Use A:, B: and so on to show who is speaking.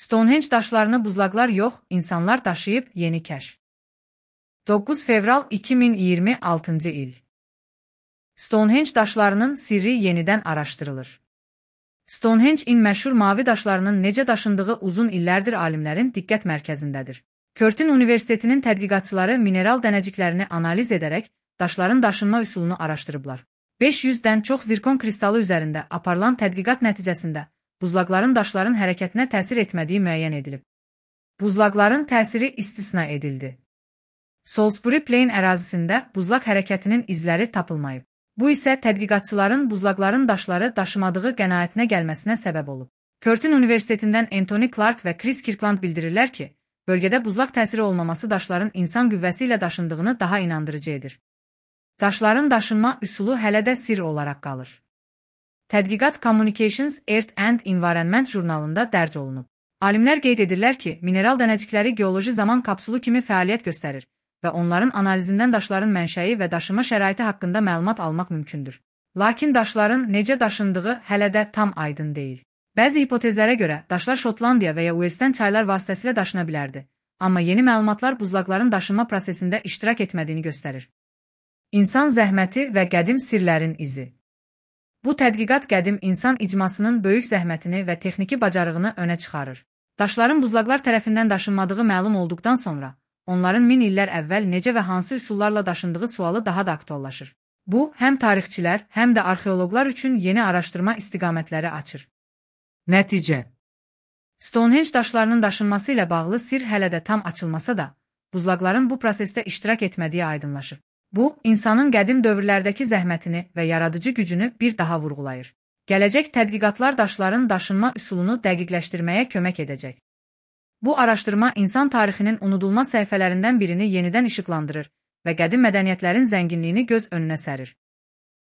A: Stonehenge daşlarını buzlaqlar yox, insanlar daşıyıb yeni kəşf. 9 fevral 2026 il. Stonehenge daşlarının sirri yenidən araşdırılır. Stonehenge-in məşhur mavi daşlarının necə daşındığı uzun illərdir alimlərin diqqət mərkəzindədir. Curtin Universitetinin tədqiqatçıları mineral dənəciklərini analiz edərək daşların daşınma üsulunu araşdırıblar. 500-dən çox zirkon kristalı üzərində aparılan tədqiqat nəticəsində buzlaqların daşların hərəkətinə təsir etmədiyi müəyyən edilib. Buzlaqların təsiri istisna edildi. Salisbury Plain ərazisində buzlaq hərəkətinin izləri tapılmayıb. Bu isə tədqiqatçıların buzlaqların daşları daşımadığı qənaətinə gəlməsinə səbəb olub. Curtin Universitetindən Anthony Clark və Chris Kirkland bildirirlər ki, bölgədə buzlaq təsiri olmaması daşların insan qüvvəsi ilə daşındığını daha inandırıcı edir. Daşların daşınma üsulu hələ də sirr olaraq qalır. Tədqiqat Communications, Earth and Environment jurnalında dərc olunub. Alimlər qeyd edirlər ki, mineral dənəcikləri geoloji zaman kapsulu kimi fəaliyyət göstərir və onların analizindən daşların mənşəyi və daşıma şəraiti haqqında məlumat almaq mümkündür. Lakin daşların necə daşındığı hələ də tam aydın deyil. Bəzi hipotezlərə görə daşlar Şotlandiya və ya Uelsdən çaylar vasitəsilə daşına bilərdi, amma yeni məlumatlar buzlaqların daşınma prosesində iştirak etmədiyini göstərir. İnsan zəhməti və qədim sirlərin izi. Bu tədqiqat qədim insan icmasının böyük zəhmətini və texniki bacarığını önə çıxarır. Daşların buzlaqlar tərəfindən daşınmadığı məlum olduqdan sonra, onların 1000 illər əvvəl necə və hansı üsullarla daşındığı sualı daha da aktuallaşır. Bu, həm tarixçilər, həm də arxeoloqlar üçün yeni araşdırma istiqamətləri açır. Nəticə. Stonehenge daşlarının daşınması ilə bağlı sirr hələ də tam açılmasa da, buzlaqların bu prosesdə iştirak etmədiyi aydınlaşır. Bu, insanın qədim dövrlərdəki zəhmətini və yaradıcı gücünü bir daha vurğulayır. Gələcək tədqiqatlar daşların daşınma üsulunu dəqiqləşdirməyə kömək edəcək. Bu araşdırma insan tarixinin unudulmaz səhifələrindən birini yenidən işıqlandırır və qədim mədəniyyətlərin zənginliyini göz önünə sərir.